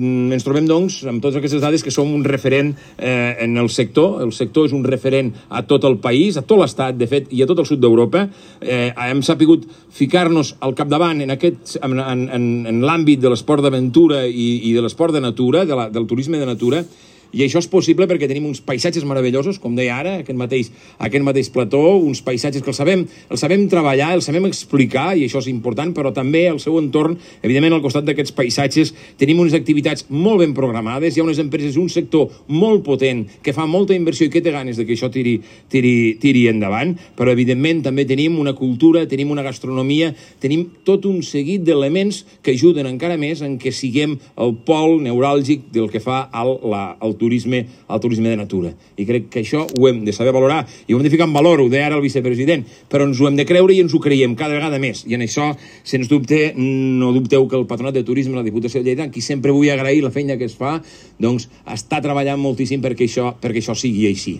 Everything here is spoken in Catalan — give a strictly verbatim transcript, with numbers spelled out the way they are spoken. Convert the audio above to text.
ens trobem, doncs, amb totes aquestes dades que som un referent eh, en el sector. El sector és un referent a tot el país, a tot l'estat, de fet, i a tot el sud d'Europa. Eh, hem sapigut ficar-nos al capdavant en, aquest, en, en, en l'àmbit de l'esport d'aventura i, i de l'esport de natura, de la, del turisme de natura, i això és possible perquè tenim uns paisatges meravellosos, com deia ara, aquest mateix, aquest mateix plató, uns paisatges que els sabem, els sabem treballar, els sabem explicar, i això és important, però també al seu entorn, evidentment, al costat d'aquests paisatges, tenim unes activitats molt ben programades, hi ha unes empreses, un sector molt potent, que fa molta inversió i que té ganes de que això tiri, tiri, tiri endavant, però, evidentment, també tenim una cultura, tenim una gastronomia, tenim tot un seguit d'elements que ajuden encara més en què siguem el pol neuràlgic del que fa al, la, al turisme, al turisme de natura. I crec que això ho hem de saber valorar i ho hem de ficar en valor, ho deia ara el vicepresident, però ens ho hem de creure i ens ho creiem cada vegada més. I en això, sens dubte, no dubteu que el Patronat de Turisme, la Diputació de Lleida, qui sempre vull agrair la feina que es fa, doncs està treballant moltíssim perquè això, perquè això sigui així.